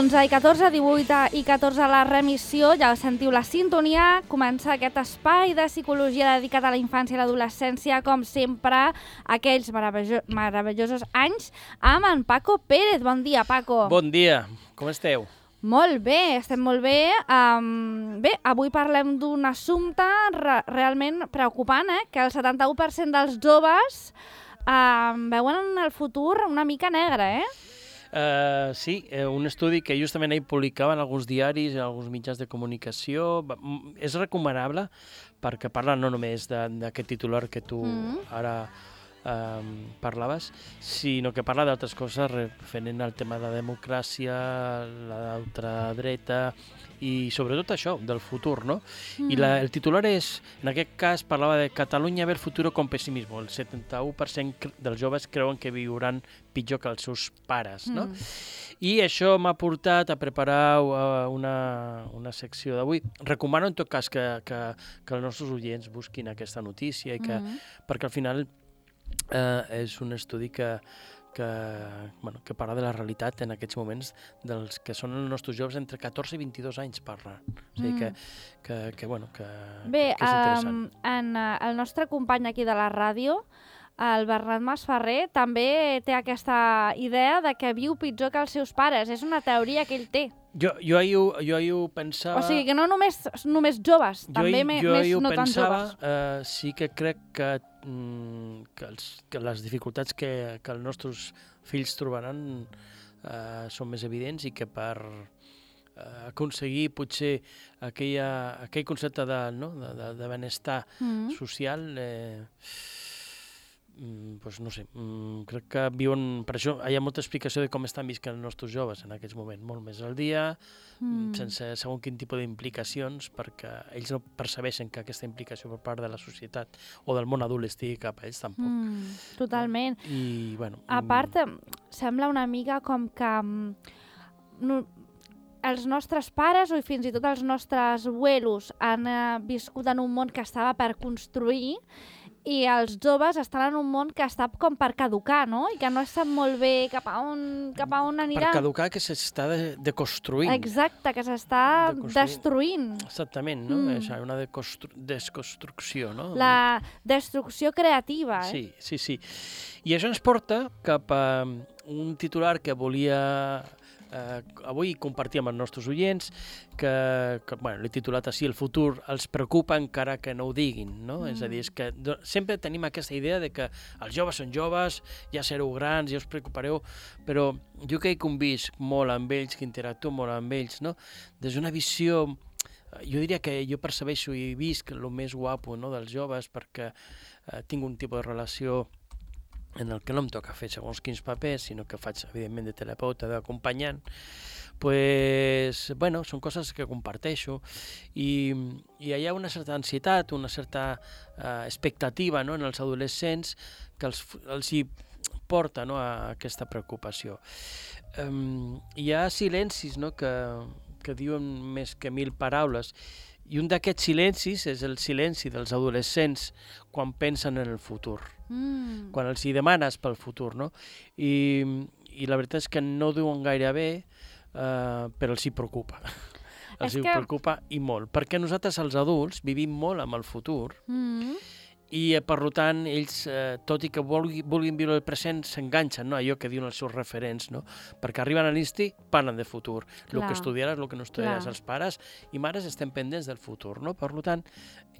11 i 14, 18 i 14 a la remissió, ja sentiu la sintonia, comença aquest espai de psicologia dedicat a la infància i l'adolescència, com sempre, aquells meravellosos anys, amb en Paco Pérez. Bon dia, Paco. Bon dia, com esteu? Molt bé, estem molt bé. Bé, avui parlem d'un assumpte realment preocupant, que el 71% dels joves veuen en el futur una mica negre, Sí, un estudi que justament ahir publicaven alguns diaris, alguns mitjans de comunicació. És recomanable perquè parla no només d'aquest titular que tu ara parlaves, sinó que parla d'altres coses referent al tema de la democràcia, la ultradreta i sobretot això, del futur, no? I el titular és, en aquest cas, parlava de Catalunya ver futuro con pessimismo. El 71% dels joves creuen que viuran pitjor que els seus pares, no? I això m'ha portat a preparar una secció d'avui. Recomano, en tot cas, que els nostres oients busquin aquesta notícia, i perquè al final és un estudi que parla de la realitat en aquests moments dels que són els nostres joves entre 14 i 22 anys parla. O sigui que és interessant. El nostre company aquí de la ràdio, el Bernat Masferrer, també té aquesta idea de que viu pitjor que els seus pares. És una teoria que ell té. Jo ahir ho pensava... O sigui, que no només joves, també més no tan joves. Sí que crec que les dificultats que els nostres fills trobaran són més evidents i que per aconseguir potser aquell concepte de benestar social... doncs no sé, crec que viuen... Per això hi ha molta explicació de com estan visquent els nostres joves en aquests moments, molt més al dia, sense segons quin tipus d'implicacions, perquè ells no percebeixen que aquesta implicació per part de la societat o del món adult estigui cap a ells tampoc. Totalment. I, bueno... A part, sembla una mica com que els nostres pares o fins i tot els nostres abuelos han viscut en un món que estava per construir i els joves estan en un món que està com per caducar, no? I que no sap molt bé cap a on anirà. Per caducar, que s'està deconstruint. Exacte, que s'està destruint. Exactament, no? És una desconstrucció, no? La destrucció creativa, Sí. I això ens porta cap a un titular que volia... avui compartir amb els nostres oients que l'he titulat així: el futur els preocupa encara que no ho diguin, no? És a dir, és que sempre tenim aquesta idea de que els joves són joves, ja sereu grans, ja us preocupareu, però jo que he convisc molt amb ells, que interactuo molt amb ells, no? Des d'una visió, jo diria que jo percebeixo i visc el més guapo, no, dels joves, perquè tinc un tipus de relació en el que no em toca fer segons quins papers, sinó que faig, evidentment, de terapeuta, d'acompanyant, són coses que comparteixo i hi ha una certa ansietat, una certa expectativa, no, en els adolescents que els hi porta, no, a aquesta preocupació. Hi ha silencis, no, que diuen més que 1000 paraules, i un d'aquests silencis és el silenci dels adolescents quan pensen en el futur, quan els hi demanes pel futur, no? I la veritat és que no ho diuen gaire bé, però els hi preocupa. Preocupa i molt, perquè nosaltres els adults vivim molt amb el futur i per tant ells, tot i que vulguin viure el present, s'enganxen, no? Allò que diuen els seus referents, no? Perquè arriben a l'insti, parlen de futur, el que estudiaràs, el que no estudiaràs. Els pares i mares estem pendents del futur, no? Per tant,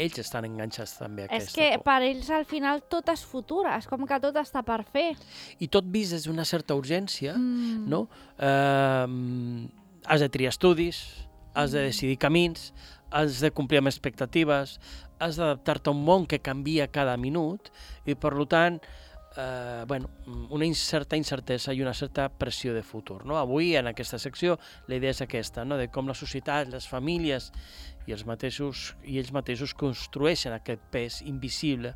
ells estan enganxats també a aquesta por. És que per ells al final tot és futur, és com que tot està per fer. I tot vist des d'una certa urgència, no? Has de triar estudis, has de decidir camins, has de complir amb expectatives, has d'adaptar-te a un món que canvia cada minut i, per tant, una certa incertesa i una certa pressió de futur, no? Avui, en aquesta secció, la idea és aquesta, no? De com la societat, les famílies i ells mateixos construeixen aquest pes invisible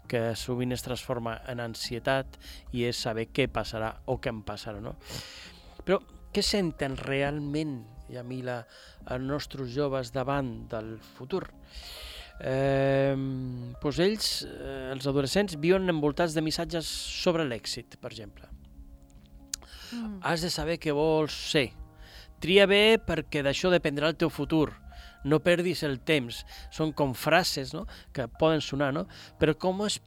que sovint es transforma en ansietat i és saber què passarà o què em passarà, no? Però què senten realment, Yamila, els nostres joves davant del futur? Ells, els adolescents, viuen envoltats de missatges sobre l'èxit, per exemple. Has de saber què vols ser, tria bé perquè d'això dependrà el teu futur. No perdis el temps. Són com frases, no?, que poden sonar, no? Però com es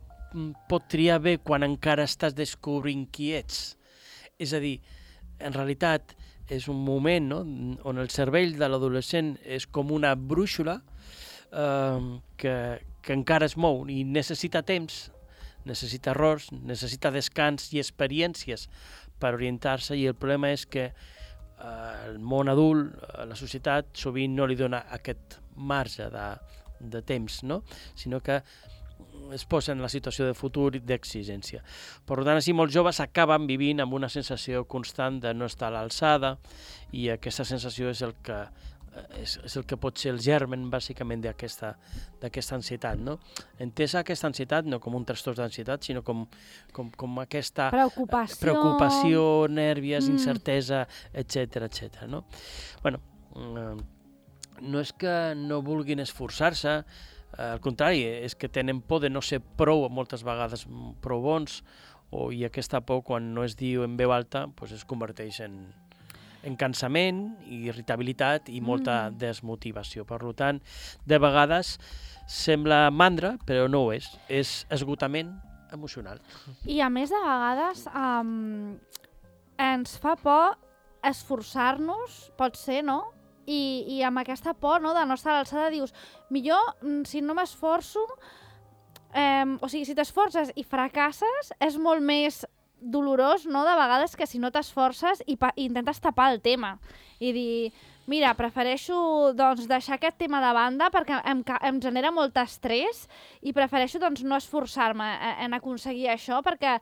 pot triar bé quan encara estàs descobrint qui ets? És a dir, en realitat és un moment, no?, on el cervell de l'adolescent és com una brúixola que encara es mou i necessita temps, necessita errors, necessita descans i experiències per orientar-se, i el problema és que el món adult, la societat, sovint no li dona aquest marge de temps, no?, sinó que es posa en la situació de futur i d'exigència. Per tant, així molts joves acaben vivint amb una sensació constant de no estar a l'alçada, i aquesta sensació és el que pot ser el germen, bàsicament, d'aquesta ansietat, no? Entesa aquesta ansietat no com un trastorn d'ansietat, sinó com aquesta preocupació, nèrvies, incertesa, etc. No? Bueno, no és que no vulguin esforçar-se, al contrari, és que tenen por de no ser prou, moltes vegades prou bons, i aquesta por, quan no es diu en veu alta, es converteix en cansament, irritabilitat i molta desmotivació. Per tant, de vegades sembla mandra, però no ho és esgotament emocional. I a més, de vegades ens fa por esforçar-nos, pot ser, no? I amb aquesta por, no, de no estar a l'alçada, dius, millor, si no m'esforço, o sigui, si t'esforces i fracasses, és molt més dolorós, no?, de vegades, que si no t'esforces i intentes tapar el tema. I dir, mira, prefereixo doncs, deixar aquest tema de banda perquè em genera molt estrès i prefereixo doncs, no esforçar-me en aconseguir això, perquè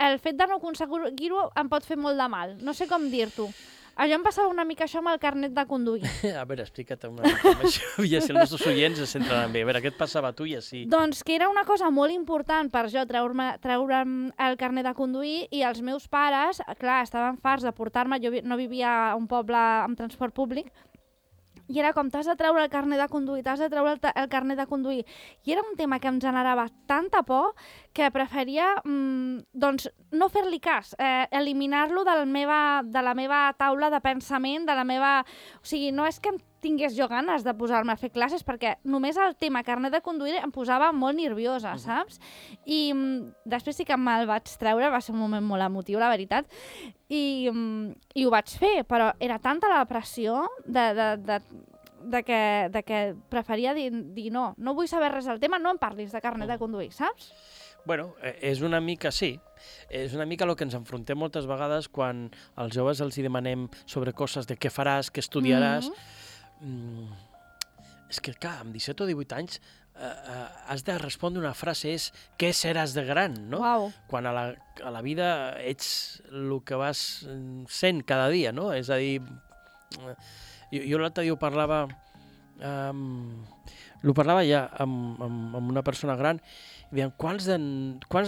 el fet de no aconseguir-ho em pot fer molt de mal. No sé com dir-t'ho. Allò em passava una mica això amb el carnet de conduir. A veure, explica't una mica amb això, i així els nostres oients es centraran bé. A veure, què et passava a tu i així? Doncs que era una cosa molt important per jo treure'm el carnet de conduir, i els meus pares, clar, estaven farts de portar-me, jo no vivia a un poble amb transport públic, i era com, t'has de treure el carnet de conduir, t'has de treure el carnet de conduir. I era un tema que em generava tanta por que preferia doncs, no fer-li cas, eliminar-lo de la meva taula de pensament, de la meva... O sigui, no és que em tingués jo ganes de posar-me a fer classes, perquè només el tema carnet de conduir em posava molt nerviosa, saps? I després sí que me'l vaig treure, va ser un moment molt emotiu, la veritat, i ho vaig fer, però era tanta la pressió de que preferia dir no vull saber res del tema, no em parlis de carnet de conduir, saps? Bueno, és una mica, sí. És una mica el que ens enfrontem moltes vegades quan als joves els demanem sobre coses de què faràs, què estudiaràs. És que, clar, amb 17 o 18 anys has de respondre una frase, és què seràs de gran, no? Uau. Quan a la vida ets el que vas sent cada dia, no? És a dir, jo l'altre dia ho parlava ja amb una persona gran, i dèiem, quants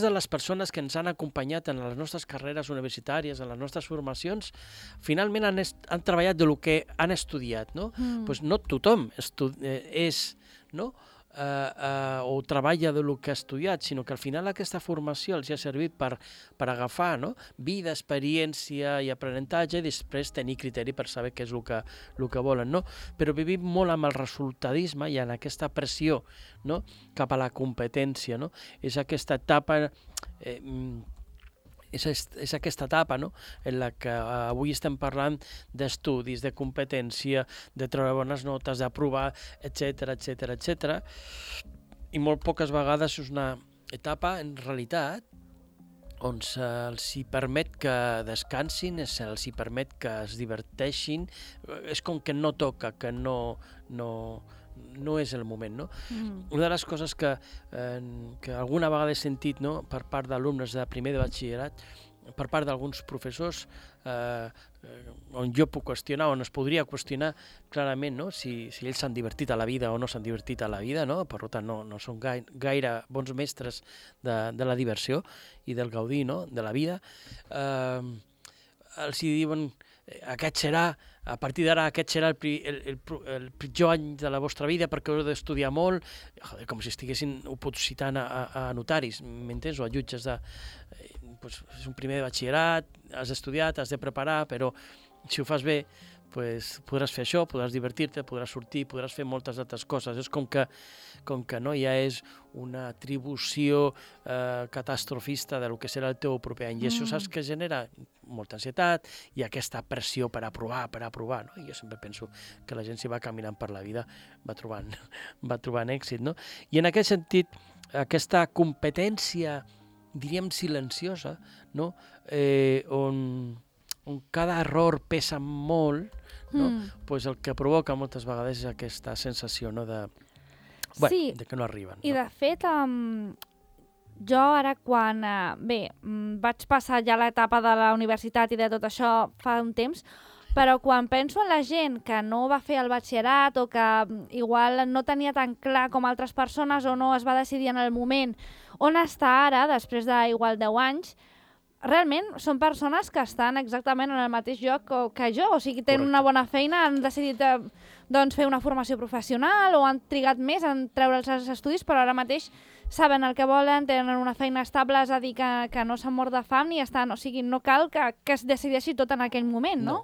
de les persones que ens han acompanyat en les nostres carreres universitàries, en les nostres formacions, finalment han treballat del que han estudiat, no? Pues no tothom és, no?, o treballa del que ha estudiat, sinó que al final aquesta formació els ha servit per agafar, no?, vida, experiència i aprenentatge, i després tenir criteri per saber què és el que volen, no? Però vivim molt amb el resultadisme i en aquesta pressió, no?, cap a la competència, no? És aquesta etapa... És aquesta etapa, no?, en la que avui estem parlant d'estudis, de competència, de treure bones notes, d'aprovar, etc. I molt poques vegades és una etapa, en realitat, on se'ls permet que descansin, se'ls permet que es diverteixin, és com que no toca, que no és el moment, no? Una de les coses que alguna vegada he sentit, no?, per part d'alumnes de primer de batxillerat, per part d'alguns professors, on jo puc qüestionar, on es podria qüestionar clarament, no?, si ells s'han divertit a la vida o no s'han divertit a la vida, no? Per tant, no són gaire bons mestres de la diversió i del gaudir, no?, de la vida. Els diuen, a partir d'ara aquest serà el pitjor any de la vostra vida perquè heu d'estudiar molt, com si estiguessin opositant a notaris, m'entens, o a jutges és un primer de batxillerat, has estudiat, has de preparar, però si ho fas bé, podràs fer això, podràs divertir-te, podràs sortir, podràs fer moltes altres coses. És com que no ja és una atribució catastrofista del que serà el teu proper any. I això saps que genera molta ansietat i aquesta pressió per aprovar. No? I jo sempre penso que la gent, si va caminant per la vida, va trobant èxit. No? I en aquest sentit, aquesta competència, diríem, silenciosa, no? On cada error pesa molt, no? Pues el que provoca moltes vegades és aquesta sensació, no? de que no arriben. I de fet, jo ara quan vaig passar ja l'etapa de la universitat i de tot això fa un temps, però quan penso en la gent que no va fer el batxillerat o que igual no tenia tan clar com altres persones o no es va decidir en el moment on està ara, després d'igual 10 anys, realment són persones que estan exactament en el mateix lloc que jo, o sigui, tenen una bona feina, han decidit fer una formació professional o han trigat més en treure'ls els estudis, però ara mateix saben el que volen, tenen una feina estable, és a dir, que no s'han mort de fam ni estan, o sigui, no cal que es decideixi tot en aquell moment, no?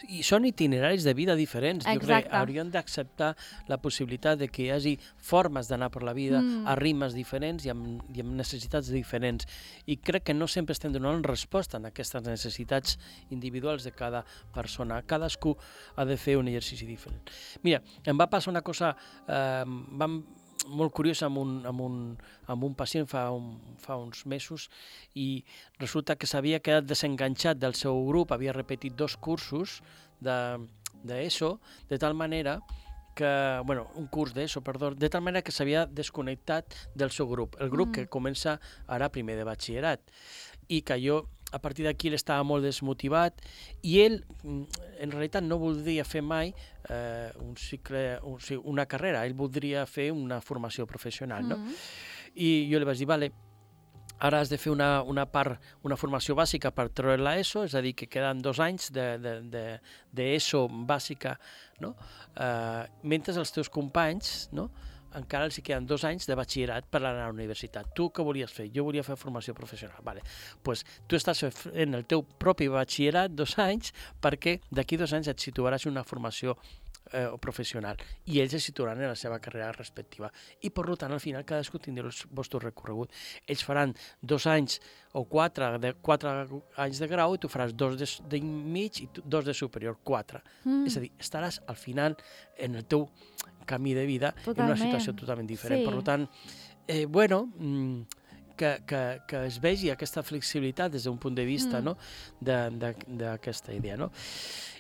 I són itineraris de vida diferents. Exacte. Jo crec que hauríem d'acceptar la possibilitat de que hi hagi formes d'anar per la vida a ritmes diferents i amb necessitats diferents. I crec que no sempre estem donant resposta a aquestes necessitats individuals de cada persona. Cadascú ha de fer un exercici diferent. Mira, em va passar una cosa molt curiosa amb un pacient fa uns mesos i resulta que s'havia quedat desenganxat del seu grup, havia repetit 2 cursos d'ESO, de tal manera que, un curs d'ESO, perdó, de tal manera que s'havia desconnectat del seu grup, el grup que comença ara primer de batxillerat, i que jo a partir d'aquí ell estava molt desmotivat i ell en realitat no voldria fer mai una carrera, ell voldria fer una formació professional, no? I jo li vaig dir, vale, ara has de fer una formació bàsica per treure l'ESO, és a dir, que queden 2 anys d'ESO bàsica, no? Mentre els teus companys, no? Encara els queden 2 anys de batxillerat per anar a la universitat. Tu què volies fer? Jo volia fer formació professional. Vale. Pues tu estàs fent el teu propi batxillerat 2 anys perquè d'aquí 2 anys et situaràs en una formació professional i ells es situaran en la seva carrera respectiva. I per tant, al final, cadascú tindrà el vostre recorregut. Ells faran 2 anys o 4 anys de grau i tu faràs 2 de mig i 2 de superior, 4. És a dir, estaràs al final en el teu camí de vida en una situació totalment diferent. Sí. Per tant, que es vegi aquesta flexibilitat des d'un punt de vista d'aquesta idea. No?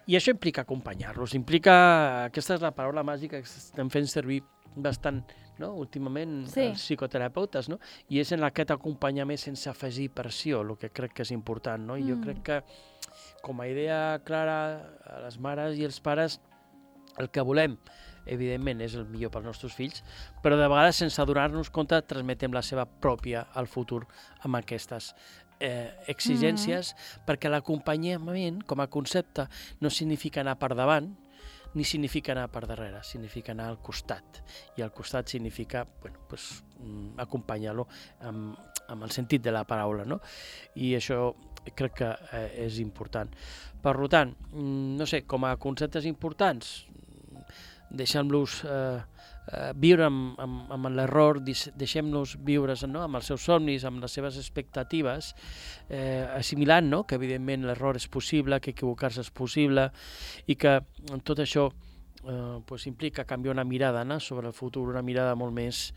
I això implica acompanyar-los, aquesta és la paraula màgica que estem fent servir bastant últimament els psicoterapeutes, no? I és en aquest acompanyament sense afegir pressió, el que crec que és important. No? I jo crec que com a idea clara a les mares i els pares el que volem evidentment és el millor pels nostres fills, però de vegades sense adonar-nos compte transmetem la seva pròpia al futur amb aquestes exigències, perquè l'acompanyament com a concepte no significa anar per davant ni significa anar per darrere, significa anar al costat, i al costat significa acompanyar-lo amb el sentit de la paraula, no? I això crec que és important. Per tant, no sé, com a conceptes importants, deixem-los viure amb l'error, deixem-los viure amb els seus somnis, amb les seves expectatives, assimilant que evidentment l'error és possible, que equivocar-se és possible i que tot això implica canviar una mirada sobre el futur, una mirada molt més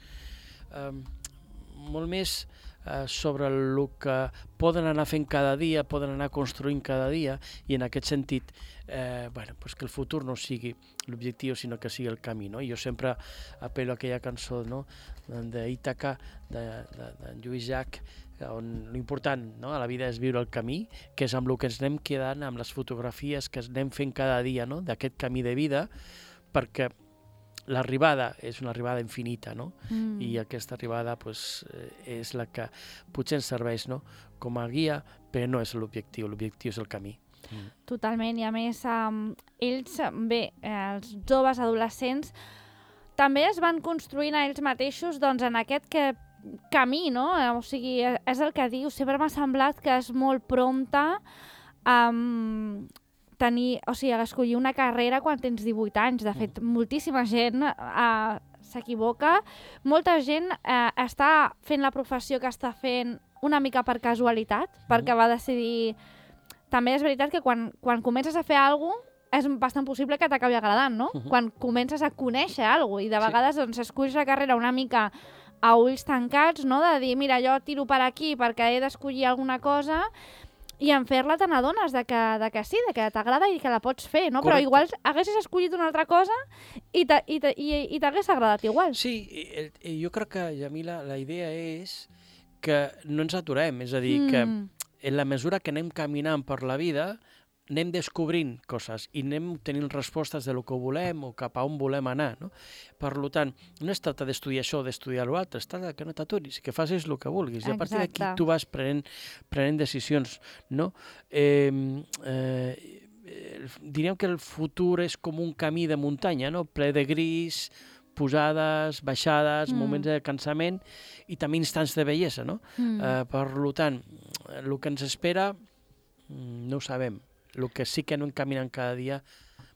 sobre el que poden anar fent cada dia, poden anar construint cada dia, i en aquest sentit que el futur no sigui l'objectiu, sinó que sigui el camí. No? Jo sempre apel·lo a aquella cançó d'Ítaca, d'en Lluís Llach, on l'important a la vida és viure el camí, que és amb el que ens anem quedant, amb les fotografies que anem fent cada dia d'aquest camí de vida, perquè l'arribada és una arribada infinita, no? I aquesta arribada és la que potser ens serveix com a guia, però no és l'objectiu és el camí. Totalment, i a més ells, els joves adolescents també es van construint a ells mateixos en aquest camí, no? O sigui, és el que dius, sempre m'ha semblat que és molt prompte escollir una carrera quan tens 18 anys. De fet, moltíssima gent s'equivoca. Molta gent està fent la professió que està fent una mica per casualitat, perquè va decidir... També és veritat que quan comences a fer alguna cosa, és bastant possible que t'acabi agradant, no? Quan comences a conèixer alguna cosa, i de vegades doncs, esculls la carrera una mica a ulls tancats, no? De dir, mira, jo tiro per aquí perquè he d'escollir alguna cosa, i en fer-la te n'adones de que sí, de que t'agrada i que la pots fer, no? Correcte. Però igual haguessis escollit una altra cosa i t'hagués agradat igual. Sí, jo crec que, Yamila, la idea és que no ens aturem, és a dir, que en la mesura que anem caminant per la vida anem descobrint coses i anem tenint respostes de lo que volem o cap a on volem anar, no? Per tant, no es tracta d'estudiar això o d'estudiar l'altre, es tracta que no t'aturis, que facis el que vulguis. I a partir d'aquí tu vas prenent decisions, no? Diríem que el futur és com un camí de muntanya, no? Ple de gris, pujades, baixades, moments de cansament i també instants de bellesa, no? Per tant, el que ens espera no ho sabem. El que sí que anem caminant cada dia,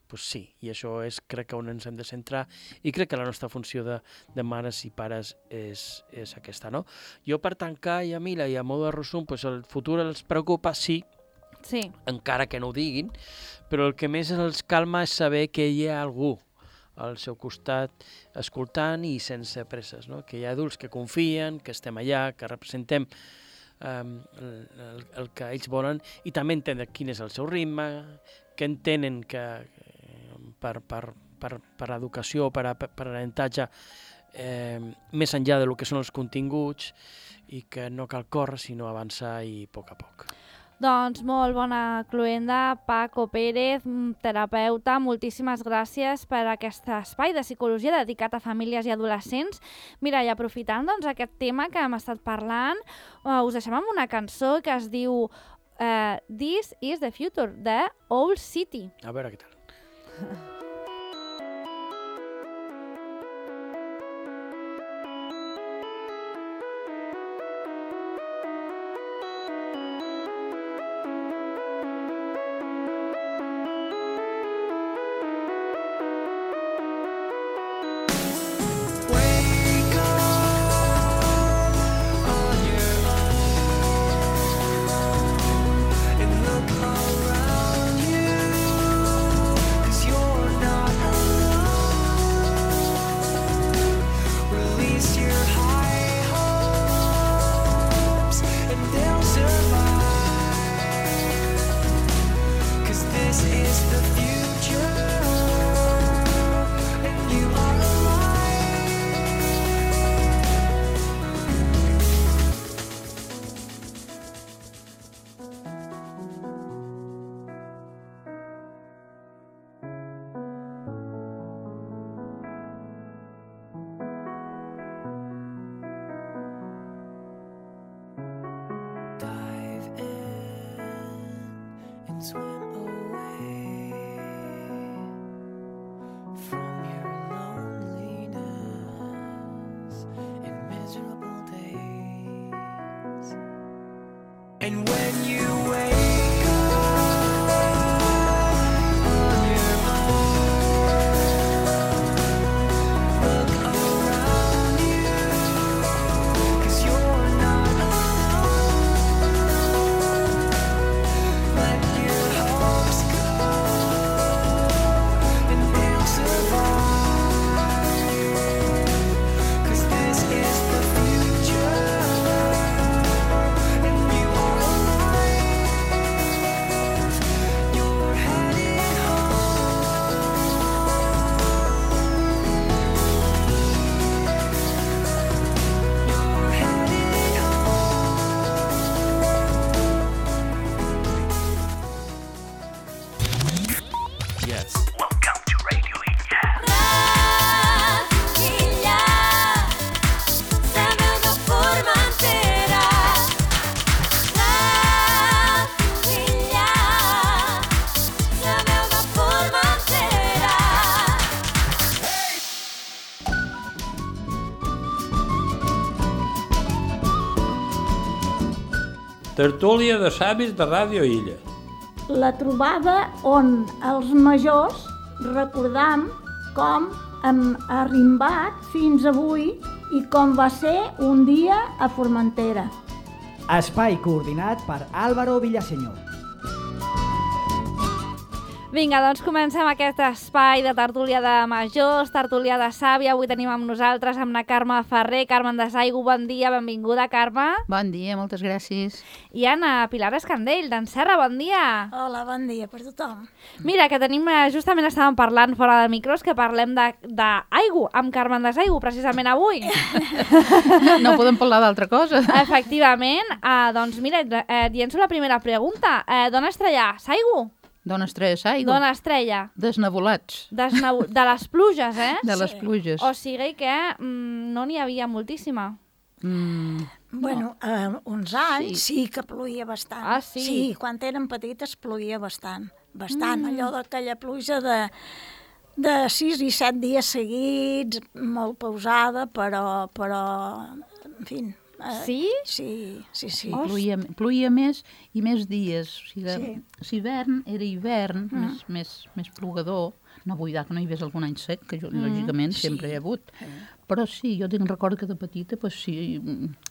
doncs sí, i això és, crec que on ens hem de centrar, i crec que la nostra funció de mares i pares és aquesta, no? Jo per tancar, Yamila, i a mode de resum, doncs el futur els preocupa, sí, encara que no ho diguin, però el que més els calma és saber que hi ha algú al seu costat escoltant i sense presses, no? Que hi ha adults que confien, que estem allà, que representem el que ells volen i també entendre quin és el seu ritme, que entenen que per educació, per aprenentatge, més enllà del que són els continguts i que no cal córrer sinó avançar i a poc a poc. Doncs molt bona cloenda, Paco Pérez, terapeuta. Moltíssimes gràcies per aquest espai de psicologia dedicat a famílies i adolescents. Mira, i aprofitant doncs, aquest tema que hem estat parlant, us deixem amb una cançó que es diu This is the Future, de Owl City. A veure què tal. And when you wake up on your own, look around you, 'cause you're not alone. Let your hopes go, and they'll survive, 'cause this is the future. Tertúlia de savis de Ràdio Illa. la trobada on els majors recordam com hem arrimbat fins avui i com va ser un dia a Formentera. Espai coordinat per Álvaro Villaseñor. Vinga, doncs comencem aquest espai de tertúlia de majors, tertúlia de sàvia. Avui tenim amb nosaltres amb la Carme Ferrer. Carmen de Saigo, bon dia, benvinguda, Carme. Bon dia, moltes gràcies. I Anna Pilar Escandell, d'en Serra, bon dia. Hola, bon dia per tothom. Mira, que tenim, justament estàvem parlant fora de micros, que parlem d'Aigo, amb Carmen de Saigo, precisament avui. No podem parlar d'altra cosa. Efectivament. Doncs mira, dient-se la primera pregunta. D'on estrella? Saigo? D'on estrella Saigo? D'on estrella? Desnebulats. De les pluges, eh? De les pluges. O sigui que no n'hi havia moltíssima. Bueno, uns anys sí que ploïa bastant. Ah, sí? Sí, quan érem petites ploïa bastant. Bastant, allò d'aquella pluja de 6 i 7 dies seguits, molt pausada, però en fi... Sí? Sí. Ploïa més i més dies. O sigui, Sí. si hivern era hivern, més plogador. No vull dir que no hi hagués algun any sec, que lògicament sempre hi ha hagut. Però sí, jo tinc record que de petita, pues sí,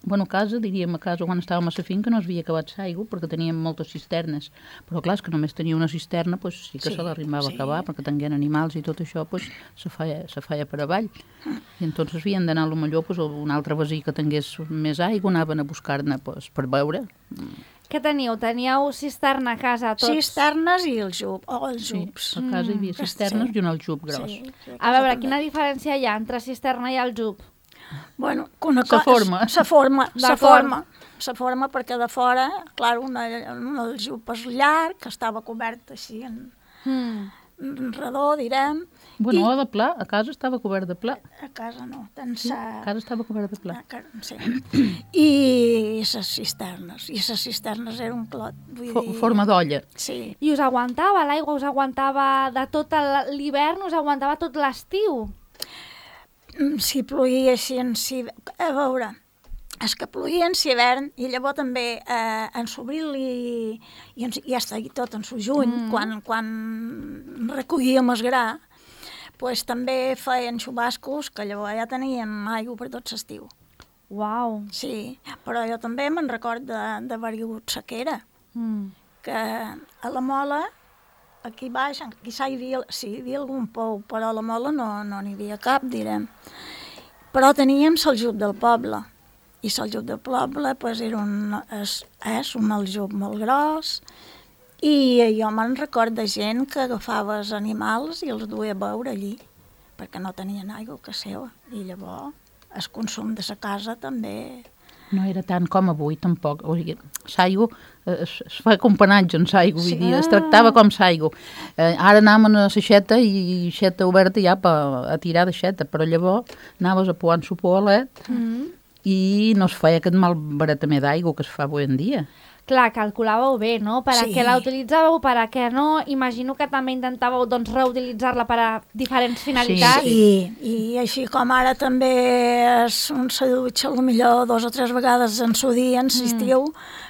bueno, a casa quan estàvem a la finca no es havia acabat l'aigua perquè teníem moltes cisternes. Però clar, és que només tenia una cisterna, pues sí que se l'arrimava a acabar, perquè tenien animals i tot això, pues se feia per avall. I entonces havien d'anar potser pues, a un altre veí que tingués més aigua, anaven a buscar-ne pues, per beure. Què teníeu? Teníeu cisterna a casa tots? Cisternes i els jups. Sí, a casa hi havia cisternes i un aljub gros. Sí, A veure, quina diferència hi ha entre cisterna i aljub? Bueno, una Sa forma. Sa forma perquè de fora, clar, un aljub és llarg, que estava cobert així en redó, direm. Bueno, o de pla, a casa estava cobert de pla. A casa no, A casa estava cobert de pla. Sí. I les cisternes era un clot. Vull dir... Forma d'olla. Sí. I us aguantava l'aigua? Us aguantava de tot l'hivern? Us aguantava tot l'estiu? Si ploïa així a veure, és que ploïa en hivern i llavors també en l'abril i ja està tot en el juny, quan recollíem el gra, pues, també feien xubascos que llavors ja teníem aigua per tot l'estiu. Uau! Sí, però jo també me'n record d'haver-hi hagut sequera, que a la Mola, aquí baix, quizà hi havia algun pou, però a la Mola no n'hi havia cap, direm. Però teníem l'aljub del poble, i l'aljub del poble pues, és un aljub molt gros, i jo me'n record de gent que agafava els animals i els duia a beure allí, perquè no tenien aigua que seva, i llavors el consum de la casa també... No era tant com avui, tampoc. O sigui, l'aigua, es fa companatge en l'aigua, vull dir, es tractava com l'aigua. Ara anàvem a la xeta i xeta oberta ja a tirar de xeta, però llavors anaves a pouar en su poalet i no es feia aquest mal baratament d'aigua que es fa avui en dia. Clar, calculàveu bé, no? Per a què la utilitzàveu, per a què no? Imagino que també intentàveu reutilitzar-la per a diferents finalitats. Sí, i així com ara també un se dutxa potser 2 o 3 vegades en su dia, en l'estiu,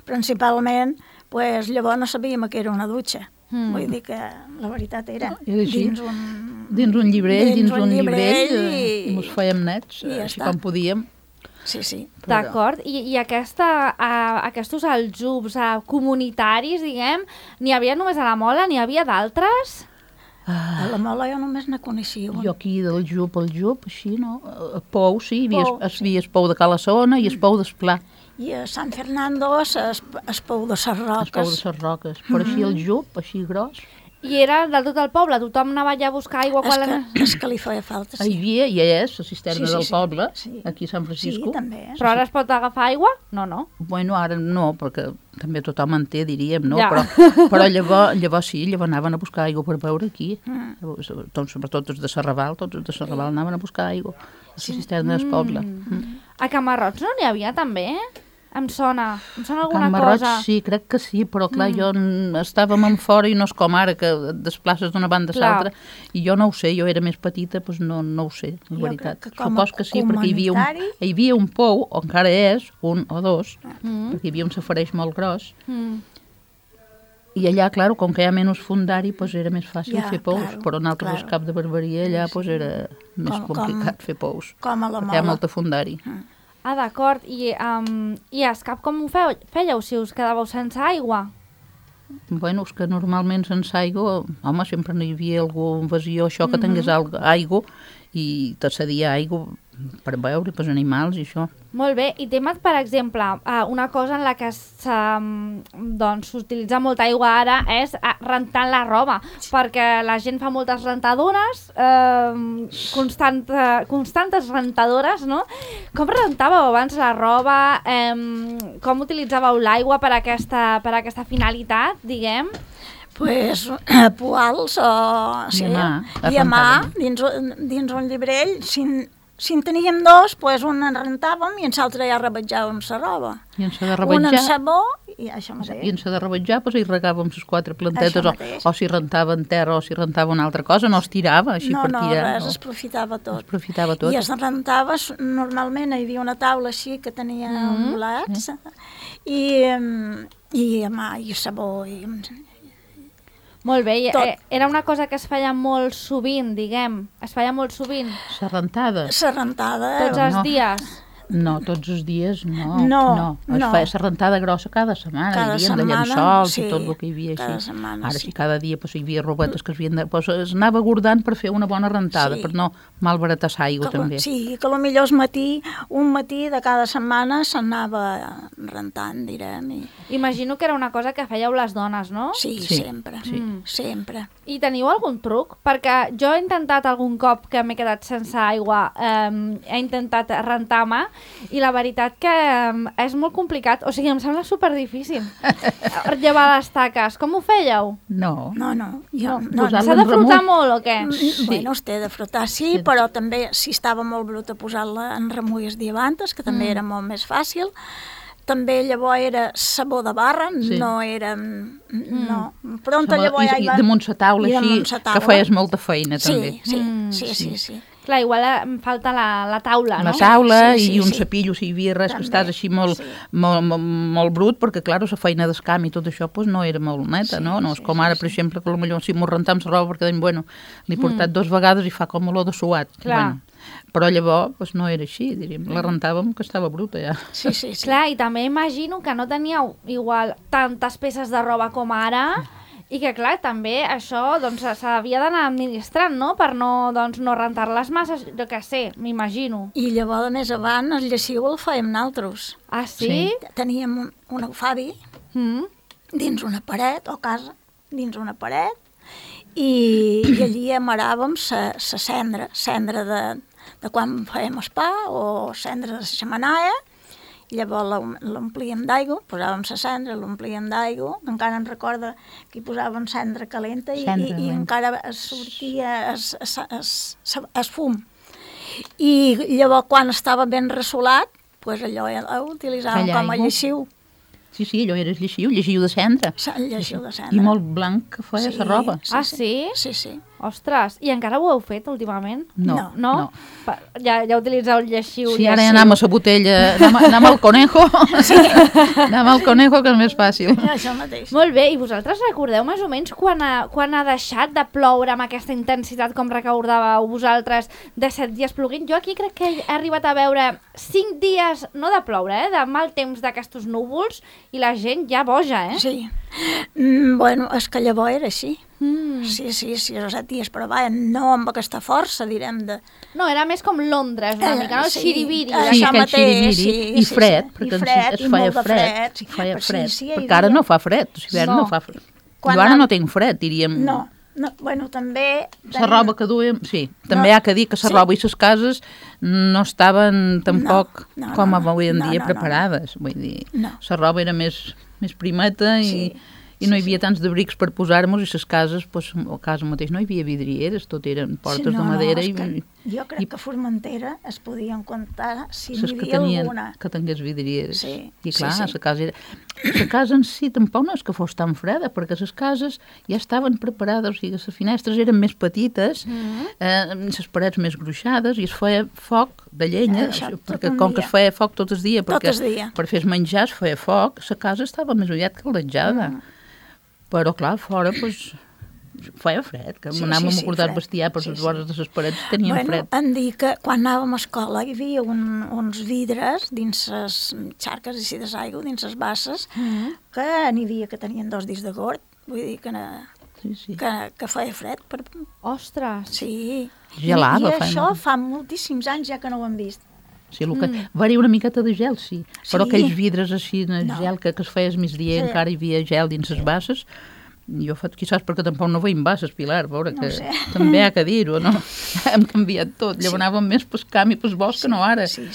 principalment, pues, llavors no sabíem que era una dutxa. Vull dir que la veritat era dins un llibrell, i ens fèiem nets, així com podíem. Sí. D'acord, i aquests aljubs comunitaris, diguem, n'hi havia només a la Mola, n'hi havia d'altres? A la Mola jo només ne coneixia un. Jo aquí del jub, així, no? A Pou, sí, hi havia el Pou de Calassona i el Pou d'Esplà. I a Sant Fernando el Pou de ses Roques. El Pou de ses Roques, però així el jub, així gros. I era de tot el poble? Tothom anava allà a buscar aigua? És que li feia falta, sí. Hi havia, i és, la cisterna del poble, aquí a Sant Francisco. Sí, també. Però ara es pot agafar aigua? No. Bueno, ara no, perquè també tothom en té, diríem, no? Ja. Però llavors sí, llavors anaven a buscar aigua per beure aquí. Sobretot els de Serraval, anaven a buscar aigua a la cisterna del poble. A Camarrots no n'hi havia també? Em sona alguna Can Marroig, cosa. sí, crec que sí, però clar, jo estàvem en fora i no és com ara, que et desplaces d'una banda a l'altra, i jo no ho sé, jo era més petita, doncs no ho sé, la veritat. Supos que sí, perquè hi havia un pou, o encara és, un o dos, perquè hi havia un safareig molt gros, I allà, clar, com que hi ha menys fundari, doncs era més fàcil Ja, fer pous, claro, però nosaltres, claro. Cap de Barberia, allà doncs era més Com- complicat fer pous, com a la perquè hi ha Mola. molta fundari. Ah, d'acord. I a Escap com ho fèieu si us quedàveu sense aigua? Bueno, és que normalment sense aigua, home, sempre n'hi havia algun vasió, això que tingués aigua, i te cedia aigua per beure, pels animals i això. Molt bé, i temat, per exemple, una cosa en la que doncs, s'utilitza molta aigua ara és rentant la roba, perquè la gent fa moltes rentadores, constantes rentadores, no? Com rentàveu abans la roba? Com utilitzàveu l'aigua per aquesta finalitat, diguem? Pues poals o... I a mà, I a mà, dins un llibrell. Si en teníem dos, pues un en rentàvem i en l'altre ja rebetjàvem la roba. I en s'ha de Un en revetjar, sabó i això mateix. i en s'ha de revetjar, doncs hi regàvem les 4 plantetes, Això mateix. o si rentava en terra o si rentava una altra cosa, no es tirava així per tirar. Res, es aprofitava tot. Es aprofitava tot. I es rentava, normalment hi havia una taula així que tenia bolets i a mà, i sabó, i... Molt bé, i, Tot. era una cosa que es feia molt sovint, diguem. Es feia molt sovint, La rentada? La rentada... tots els no. dies. No, tots els dies no. No. Es feia la rentada grossa cada setmana. Cada hi havia de setmana, llençols sí, i tot el que hi havia cada així. setmana, Ara sí. sí, cada dia hi havia robetes que es havien de... es anava guardant per fer una bona rentada, Sí. per no malbaratar l'aigua també. Sí, que potser un matí de cada setmana s'anava rentant, direm. Imagino que era una cosa que fèieu les dones, no? Sí, Sí, sempre, sí. sempre. I teniu algun truc? Perquè jo he intentat algun cop que m'he quedat sense aigua, he intentat rentar a mà, i la veritat que és molt complicat. O sigui, em sembla superdifícil llevar les taques. Com ho fèieu? No. No. posar-lo S'ha de en frotar remull. molt o què? Bueno, es té de frotar, sí, però també, si estava molt bruta, posar-la en remulles diamantes, que també era molt més fàcil. També llavors era sabó de barra, Sí. no era... No, pronto I, llavors ja hi va... damunt la taula i així, damunt sa que taula. feies molta feina també. Sí. Clar, igual em falta la taula, no? La taula Sí, i un sí. cepillo, si hi havia res que També, estàs així molt, sí. molt brut, perquè, clar, la feina d'escam i tot això pues, no era molt neta, no? No és com ara, per exemple, que potser si m'ho rentem la roba perquè, bueno, l'he portat 2 vegades i fa com olor de suat. Clar. Bueno, però llavors pues, no era així, diríem. La rentàvem que estava bruta ja. Sí. Clar, i també imagino que no teníeu igual tantes peces de roba com ara, i que, clar, també això doncs, s'havia d'anar administrant, no?, per no, doncs, no rentar-les massa, jo què sé, m'imagino. I llavors, més avant, el lleixiu el fèiem nosaltres. Ah, sí? Teníem un aguafi dins una paret, o casa, dins una paret, i allí amaràvem la cendra de quan fèiem el pa, o cendra de la xemenaia, i llavors l'omplíem d'aigua, posàvem la cendra, l'omplíem d'aigua, encara em recorda que hi posàvem cendra calenta i encara sortia es fum. I llavors, quan estava ben ressolat, pues allò ho utilitzàvem com a lleixiu. Sí, allò era el lleixiu de cendra. El lleixiu de cendra. I molt blanc que feia la roba. Sí? Sí. Ostres, i encara ho heu fet últimament? No. Ja utilitzeu el lleixiu. Sí, ara ja anem a la botella, anem al conejo. Anem al conejo, que és més fàcil. Això mateix. Molt bé, i vosaltres recordeu més o menys quan ha deixat de ploure amb aquesta intensitat com recordàveu vosaltres de 7 dies ploguint? Jo aquí crec que he arribat a veure 5 dies, no de ploure, de mal temps d'aquestos núvols, i la gent ja boja, Sí. Bueno, és que llavors era així. Sí, els 7 dies, però vaja, no amb aquesta força, direm, de... No, era més com Londres, una mica, no? Xiriviri. Sí, això aquell mateix, xiriviri, i fred, perquè es feia fred. Feia fred, perquè ara no fa fred, l'hivern no fa fred. Jo ara no tinc fred, diríem. No, bueno, també... La roba que duem, sí, també hi ha que dir que la roba i les cases no estaven tampoc com avui en dia preparades. Vull dir, la roba era més primeta i no hi havia tants d'abrics per posar-nos, i les cases, a casa mateix no hi havia vidrieres, tot eren portes de madera. Jo crec que a Formentera es podien comptar si n'hi havia alguna. Que tingués vidrieres. I clar, la casa en si tampoc no és que fos tan freda, perquè les cases ja estaven preparades, o sigui, les finestres eren més petites, les parets més gruixades, i es feia foc de llenya, perquè com que es feia foc tot el dia, perquè per fer menjar es feia foc, la casa estava més aviat caldejada. Però, clar, fora, doncs, feia fred, que anàvem a portar el bestiar per les vores de les parets, teníem fred. Em dic que quan anàvem a escola hi havia uns vidres dins les xarques així d'aigua, dins les basses, que n'hi havia que tenien 2 dits de gord, vull dir que, que feia fred. Ostres! Sí. Gelava. I això fa moltíssims anys ja que no ho hem vist. Sí, va haver una miqueta de gel, sí. Però aquells vidres així de gel que es feia al migdia, encara hi havia gel dins les basses. Jo faig, quizás perquè tampoc no veiem basses, Pilar, veure que també ha que dir-ho, no? Hem canviat tot, llavors anàvem més pel camp i pel bosc que no ara. Sí.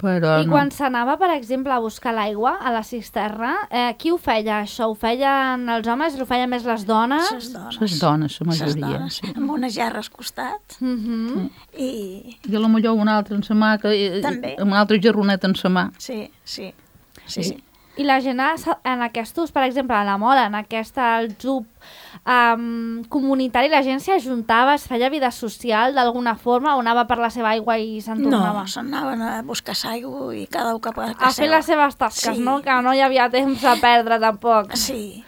Però I quan s'anava, per exemple, a buscar l'aigua a la cisterna, qui ho feia, això? Ho feien els homes? Ho feien més les dones? Les dones, la majoria. Sí. Amb una gerra al costat. I potser una altra en sa mà, també. Amb una altra gerroneta en sa mà. Sí. I la gent en aquests, per exemple, a la Mola, en aquest club comunitari, la gent s'hi ajuntava, es feia vida social d'alguna forma o anava per la seva aigua i se'n tornava? No, s'anaven a buscar l'aigua i cada un cap a casa. A fer les seves tasques, no? Que no hi havia temps a perdre tampoc. Sí.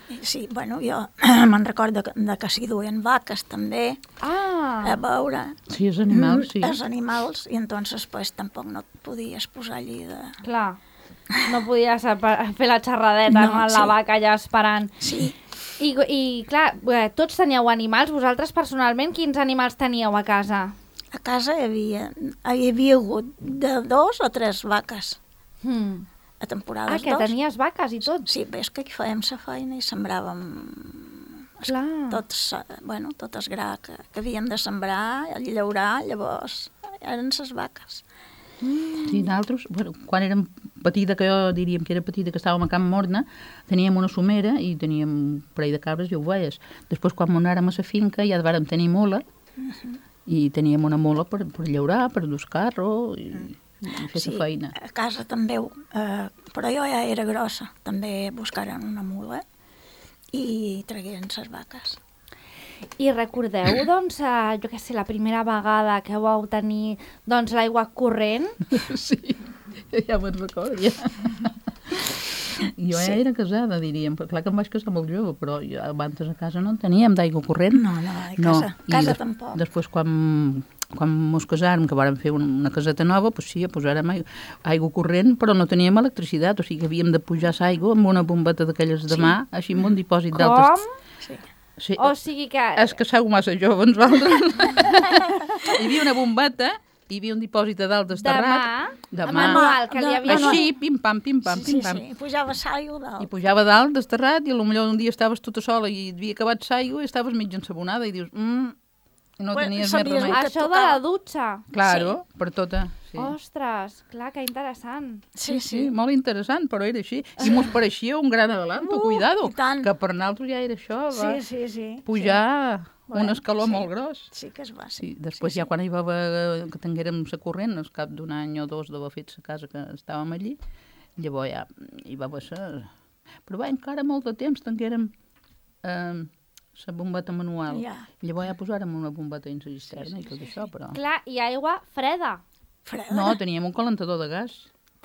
Bueno, jo me'n recordo que s'hi duien vaques també, a veure. Sí, els animals, sí. Els animals, i entonces pues tampoc no et podies posar allí de... Clar. No podies fer la xerradeta amb la vaca allà esperant. Sí. I clar, tots teníeu animals. Vosaltres personalment, quins animals teníeu a casa? A casa hi havia hagut de 2 o 3 vaques. A temporades 2. Que tenies vaques i tot? Sí, ves que aquí fèiem la feina i sembràvem tot el gra que havíem de sembrar, llaurar, llavors eren les vaques. Sí, nosaltres, quan érem petita, que jo diríem que era petita, que estàvem a Camp Morna, teníem una somera i teníem un parell de cabres i ovelles. Després, quan anàrem a la finca, ja vàrem tenir mola, i teníem una mola per llaurar, per dur carro i fer la feina. A casa també, però jo ja era grossa, també buscaren una mula i tragueren les vaques. I recordeu, doncs, jo què sé, la primera vegada que vau tenir l'aigua corrent? Sí, ja me'n recordo, ja. Jo ja era casada, diríem. Clar que em vaig casar molt jove, però abans a casa no en teníem d'aigua corrent. No, a casa tampoc. Després, quan ens casàrem, que vàrem fer una caseta nova, doncs sí, posàrem aigua corrent, però no teníem electricitat, o sigui que havíem de pujar l'aigua amb una bombeta d'aquelles de mà, així amb un dipòsit d'altres... Com? Sí. O sigui que... És que sou massa jove, ens vosaltres. Hi havia una bombeta, hi havia un dipòsit de dalt desterrat. De mà. Manual, que li havia... Així, pim-pam, pim-pam, pim-pam. Sí, pujava l'aigua dalt. I pujava dalt desterrat i potser un dia estaves tota sola i havia acabat l'aigua i estaves mig ensabonada i dius... no tenies més remei. Això de la dutxa. Claro, per tota... Sí. Ostres, clar, que interessant. Sí, molt interessant, però era així. I mos pareixia un gran adelanto, cuidado, que per nosaltres ja era això, pujar un escaló molt gros. Sí que es va, sí. Després ja quan hi va haver, que tinguérem la corrent, al cap d'un any o dos d'haver fet la casa que estàvem allí, llavors ja hi va haver... Però va, encara molt de temps tinguérem la bombeta manual. Llavors ja posàrem una bombeta dins la cisterna i tot això, però... Clar, i aigua freda. No, teníem un calentador de gas.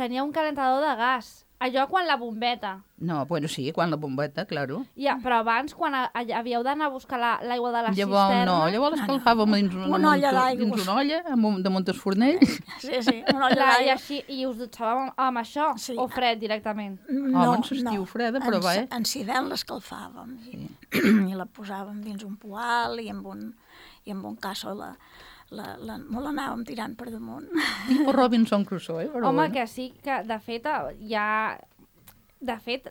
Tenia un calentador de gas. Allò quan la bombeta. No, bueno, sí, quan la bombeta, claro. Ja, però abans, quan havíeu d'anar a buscar l'aigua de la cisterna... No, llavors l'escalfàvem dins una olla, damunt el fornell. Sí, una olla d'aigua. I us dutxàveu amb això? O fred, directament? No, en l'estiu freda, però va, En hivern l'escalfàvem. I la posàvem dins un poal i amb un casso molt l'anàvem tirant per damunt. Tipo Robinson Crusoe, però... Home, que sí, que de fet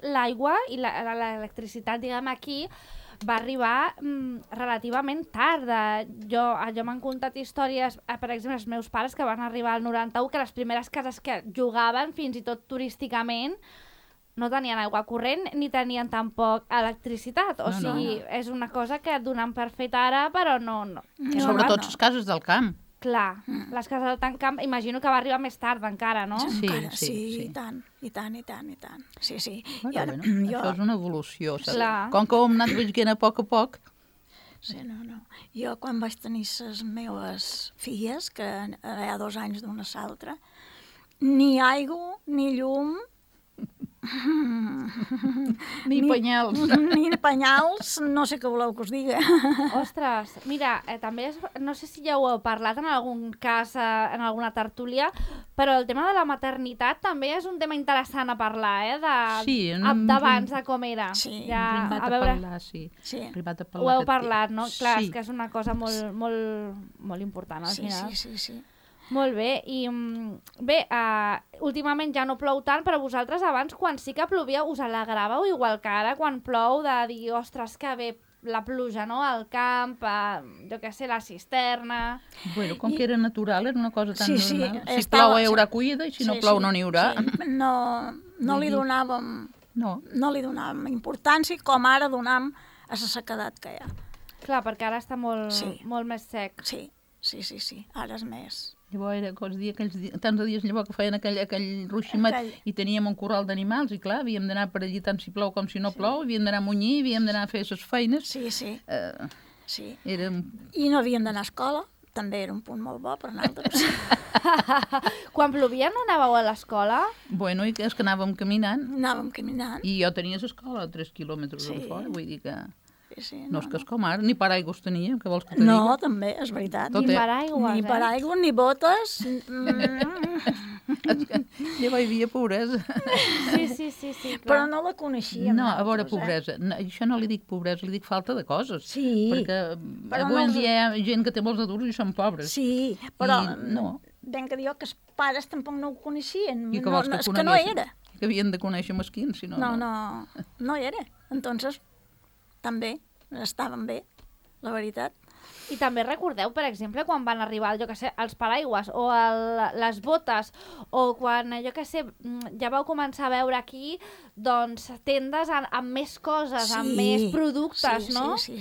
l'aigua i l'electricitat, diguem, aquí va arribar relativament tard. Jo m'han contat històries, per exemple, els meus pares que van arribar al 91, que les primeres cases que jugaven, fins i tot turísticament, no tenien aigua corrent ni tenien tampoc electricitat. O sigui, és una cosa que donen per fet ara, però no. Sobretot les cases del camp. Clar, les cases del camp, imagino que va arribar més tard encara, no? Sí, i tant. Sí. Bueno, això és una evolució. Com que ho hem anat veient a poc. Sí, no. Jo, quan vaig tenir les meves filles, que hi ha 2 anys d'una a l'altra, ni aigua, ni llum, Ni penyals. Ni penyals, no sé què voleu que us digui. Ostres, mira, també no sé si ja ho heu parlat en algun cas, en alguna tertúlia, però el tema de la maternitat també és un tema interessant a parlar, Sí, d'abans, de com era. Sí, ja, Privat a a veure, parlar, sí. Sí. Privat a ho parlar. heu parlat, no? Clar, Sí. és que és una cosa molt important, al Sí, final. sí. Molt bé, i bé, últimament ja no plou tant, però vosaltres abans, quan sí que plovia, us alegràveu igual que ara, quan plou, de dir, ostres, que bé la pluja, no?, al camp, jo què sé, la cisterna... Bueno, com que era natural, era una cosa tan normal. Si estava- plou hi haurà cuida i si no plou no n'hi haurà. Sí. No li donàvem... No. No li donàvem importància com ara donam a la sequedat que hi ha. Clar, perquè ara està molt, Sí. molt més sec. Sí. Ara és més. Llavors era tants de dies llavors que feien aquell ruiximet i teníem un corral d'animals i clar, havíem d'anar per allí tant si plou com si no plou, havíem d'anar a munyir, havíem d'anar a fer les feines. Sí. Era... I no havíem d'anar a escola, també era un punt molt bo per nosaltres. Quan plovia no anàveu a l'escola? Bueno, i és que anàvem caminant. Anàvem caminant. I jo tenia l'escola a 3 quilòmetres de fora, vull dir que... Sí, no és que és com ara, ni paraigües tenia, què vols que te No, digui? també, és veritat. Tot Ni és- paraigües, Ni paraigües, ni botes. Llavors hi havia pobresa. Sí, clar. Però no la coneixíem. No, a veure, nosaltres, pobresa. No, això no li dic pobresa, li dic falta de coses. Sí. Perquè Però avui no en els- dia hi ha gent que té molts adults i són pobres. Sí, però no. ben que diu que els pares tampoc no ho coneixien. I que vols que és que no coneguessin? era. Que havien de conèixer mesquins, si no... No era. Entonces, també estaven bé, la veritat. I també recordeu, per exemple, quan van arribar, jo què sé, els paraigües o les botes, o quan, jo què sé, ja vau començar a veure aquí, doncs, tendes amb més coses, amb més productes, no? Sí.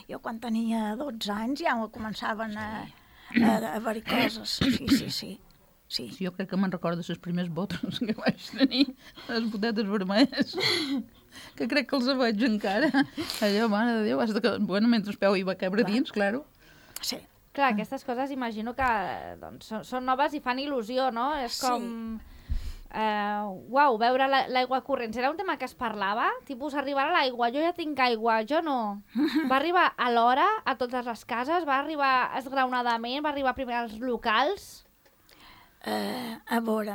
Jo quan tenia 12 anys ja començaven a haver-hi coses. Sí. Sí, jo crec que me'n recordo les primeres botes que vaig tenir, les botetes vermelles, que crec que els veig encara. Allò, mare de Déu, has de... Bueno, mentre peu hi va cabre dins, claro. Sí. Clar, aquestes coses imagino que doncs, són noves i fan il·lusió, no? És com... Uau, veure l'aigua corrents. Era un tema que es parlava? Tipus, arribarà l'aigua, jo ja tinc aigua, jo no. Va arribar a l'hora a totes les cases? Va arribar esgraonadament? Va arribar primer als locals? A veure,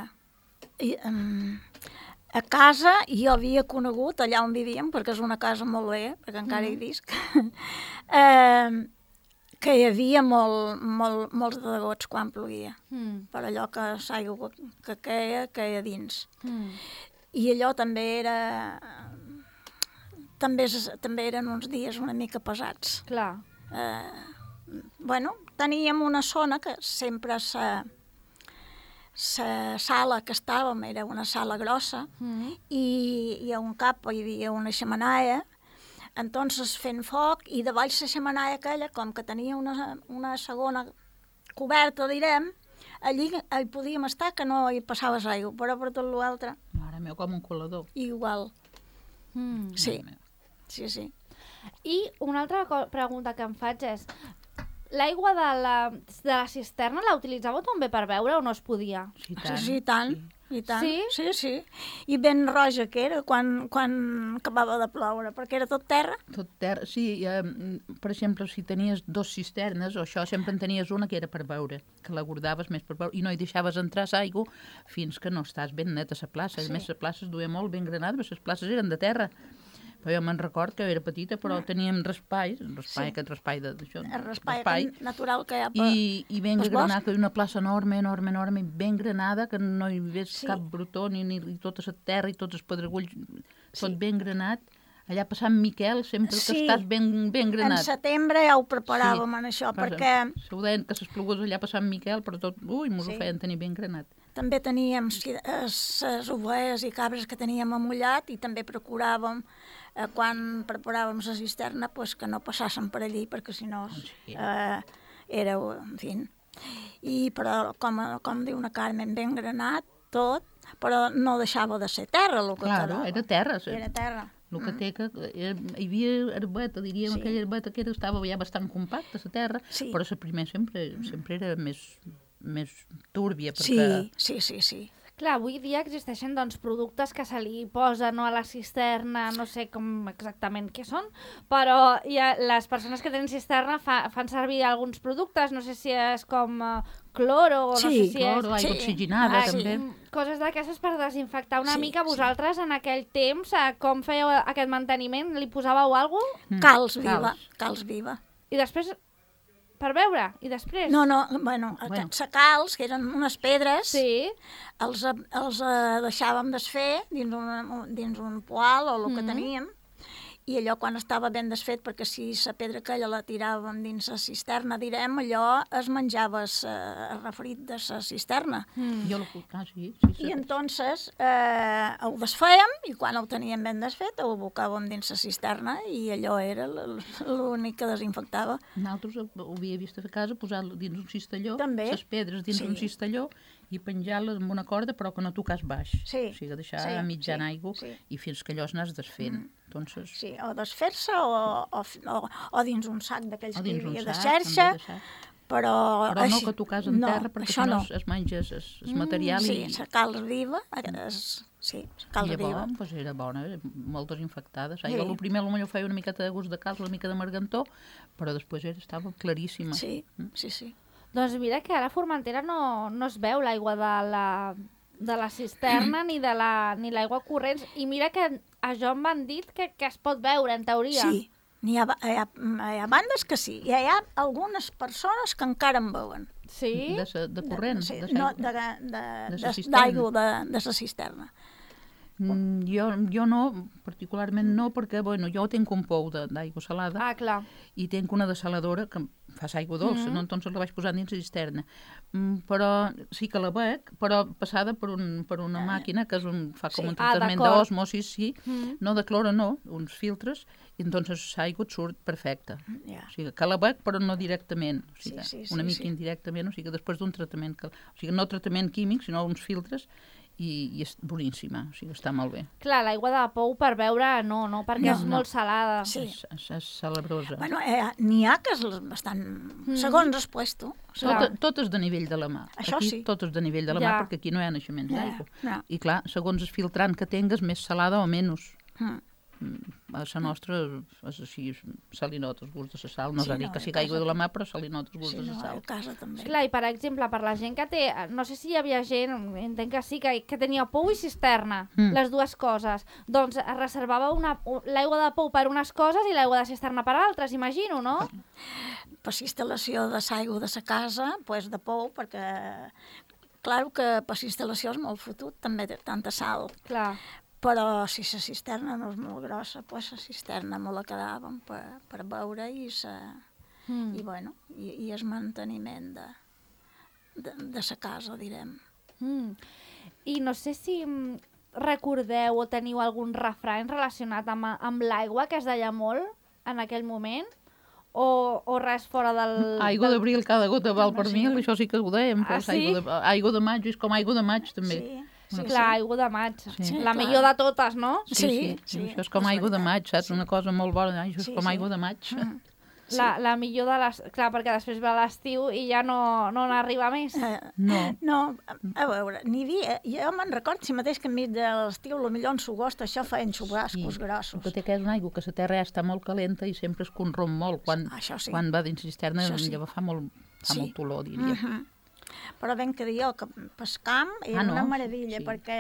a casa jo havia conegut, allà on vivíem, perquè és una casa molt bé, perquè encara hi visc, que hi havia molts de degots quan plovia, per allò que l'aigua que queia dins. I allò també era... També eren uns dies una mica pesats. Clar. Bueno, teníem una zona que sempre la sala que estàvem era una sala grossa i a un cap hi havia una xemenaia, entonces fent foc i de baix la xemenaia aquella, com que tenia una segona coberta, direm, allí hi podíem estar que no hi passaves aigua, però per tot l'altre Mare meva, com un colador. igual. Sí. I una altra pregunta que em faig és, l'aigua de la cisterna la utilitzàveu també per beure o no es podia? Sí, tant. Sí, i tant. I tant. Sí? Sí. I ben roja que era quan acabava de ploure, perquè era tot terra. Tot terra, sí, per exemple, si tenies 2 cisternes, o això, sempre en tenies una que era per beure, que la guardaves més per beure, i no hi deixaves entrar l'aigua fins que no estàs ben neta a la plaça. A més, la plaça es duia molt ben granada, perquè les places eren de terra. Però jo me'n record que era petita, però teníem raspall, aquest raspall d'això. El raspall natural que hi ha I ben pels granada, que hi ha una plaça enorme, ben granada, que no hi ves cap brutó, ni tota la terra i tots els pedregulls, tot ben granat. Allà per Sant Miquel, sempre que estàs ben granat. En setembre ja ho preparàvem en això, perquè... Se ho deien que les plogues allà per Sant Miquel, però tot, mos ho feien tenir ben granat. També teníem les ovelles i cabres que teníem amullat i també procuràvem, quan preparàvem la cisterna, que no passassen per allí, perquè si no era, en fi... Però, com diu una Carmen, ben granat, tot, però no deixava de ser terra el que quedava. Era terra. Era terra. El que té que... Hi havia herbeta, diríem, aquella herbeta que estava ja bastant compacta, la terra, però la primera sempre era més túrbia. Sí. Clar, avui dia existeixen doncs, productes que se li posen no, a la cisterna, no sé com exactament què són, però les persones que tenen cisterna fan servir alguns productes, no sé si és com cloro o no sé si Cloro, és... aigua oxigenada, sí, també. Coses d'aquestes per desinfectar una Sí, mica. sí. Vosaltres en aquell temps, com fèieu aquest manteniment? Li posàveu alguna cosa? Calç viva. I després, per beure, i després... No, bueno, aquests calç, que eren unes pedres, Sí, els deixàvem desfer dins un poal o el que teníem, i allò quan estava ben desfet, perquè si la pedra aquella la tiràvem dins la cisterna, direm, allò es menjava el refrit de la cisterna. Jo sí. I entonces ho desfèiem i quan ho teníem ben desfet ho abocàvem dins la cisterna i allò era l'únic que desinfectava. Nosaltres ho havia vist a casa, posar-lo dins un cistelló, També. les pedres dins un cistelló i penjar-les amb una corda però que no tocàs baix. Sí, O sigui, deixar sí, a mitjan sí, aigua sí. i fins que allò es anàs desfent. Entonces, Sí, o desfer-se o dins un sac d'aquells o que dins hi un havia de sac, xerxa, també de sac. però Però no que tocàs en terra perquè si no no. es menges el material Sí, i... la calç viva, sí, la calç I viva. llavors, doncs era bona, molt desinfectada. Sí. Jo el primer potser feia una miqueta de gust de calç, una mica de margantó, però després estava claríssima. Sí, sí. doncs mira que ara a Formentera no es veu l'aigua de la cisterna ni l'aigua corrents, i mira que a jo em van dit que es pot veure, en teoria. Sí, hi ha bandes que sí, i hi ha algunes persones que encara en veuen. Sí? De corrent, Sí, de no, cisterna. d'aigua de la cisterna. Jo no, particularment no, perquè bueno, jo tinc un pou d'aigua salada Ah, clar. i tinc una dessaladora que fas aigua dolça, no? Entonces la vaig posar dins la cisterna. Però sí que la bec, però passada per una màquina que fa com un tractament d'acord. d'osmosis, sí, no de cloro, no, uns filtres, i entonces l'aigua et surt perfecta. Ja. O sigui, que la bec, però no directament, o sigui, Sí, una mica indirectament, o sigui, després d'un tractament, o sigui, no tractament químic, sinó uns filtres, i és boníssima, o sigui, està molt bé. Clar, l'aigua de pou per beure no, perquè és molt salada. Sí. És salabrosa. Bueno, n'hi ha que és bastant... Segons el puesto. Tot és de nivell de la mà. Això aquí sí. tot és de nivell de la mà, Ja. perquè aquí no hi ha naixements d'aigua. Ja. I clar, segons el filtrant que tingues, més salada o menys. A la nostra és així, salinot, el gust de la sal. No és a dir que sigui aigua de la mà, però salinot, el gust Sí, de la no, sal. a casa també. Clar, i per exemple, per la gent que té... No sé si hi havia gent, entenc que sí, que tenia pou i cisterna, les dues coses. Doncs es reservava l'aigua de pou per unes coses i l'aigua de cisterna per altres, imagino, no? Per instal·lació de l'aigua de la casa, doncs de pou, perquè... Clar que per instal·lació és molt fotut, també té tanta sal. Clar. Però si la cisterna no és molt grossa, doncs la cisterna me la quedàvem per beure i el manteniment de la casa, direm. I no sé si recordeu o teniu algun refrany relacionat amb l'aigua que es deia molt en aquell moment, o res fora del... Aigua d'abril, cada gota val per mil, això sí que ho dèiem. Ah, Però sí? Aigua de maig és com aigua de maig, també. Sí, Clar, aigua de maig. Sí. La clar. millor de totes, no? Sí. Això és com aigua de maig, saps? Una cosa molt bona, això és Sí, com sí. aigua de maig. La millor de les... Clar, perquè després ve l'estiu i ja no n'arriba més. No. A veure, n'hi havia... Jo me'n recordo si mateix que enmig de l'estiu, potser en l'agost, això feien xurrascos grossos. El que té que és una aigua que la terra ja està molt calenta i sempre es conromp molt. Això sí. Quan va dins cisterna, Això sí. llavors fa molt Sí. olor, diria. Però ben que jo, que pescam era no? una meravella, Sí. perquè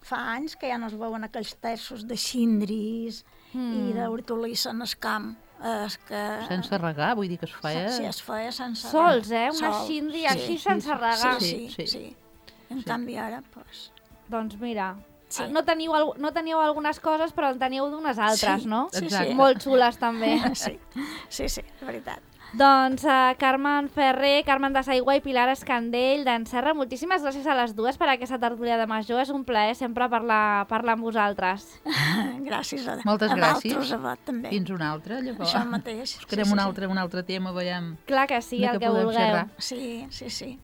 fa anys que ja no es veuen aquells terços de xindris i d'hortolissa en el camp. És que... Sense regar, vull dir que es feia... Sí, es feia sense Sols, regar. una Sols, xindri sí. així sense regar. Sí. En canvi ara, doncs... Doncs mira, Sí. no teníeu algunes coses, però en teníeu d'unes altres, Sí, no? sí, Exacte. sí. Molt xules, també. Sí, és veritat. Doncs Carmen Ferrer, Carmen de Saigua i Pilar Escandell d'en Serra, moltíssimes gràcies a les dues per aquesta tertúlia de major. És un plaer sempre parlar amb vosaltres. Gràcies a Moltes gràcies. vosaltres, a vosaltres també. Fins una altra, llavors. Això mateix. Buscarem un altre tema, veiem. Clar que sí, de el què que podem vulgueu. xerrar. Sí.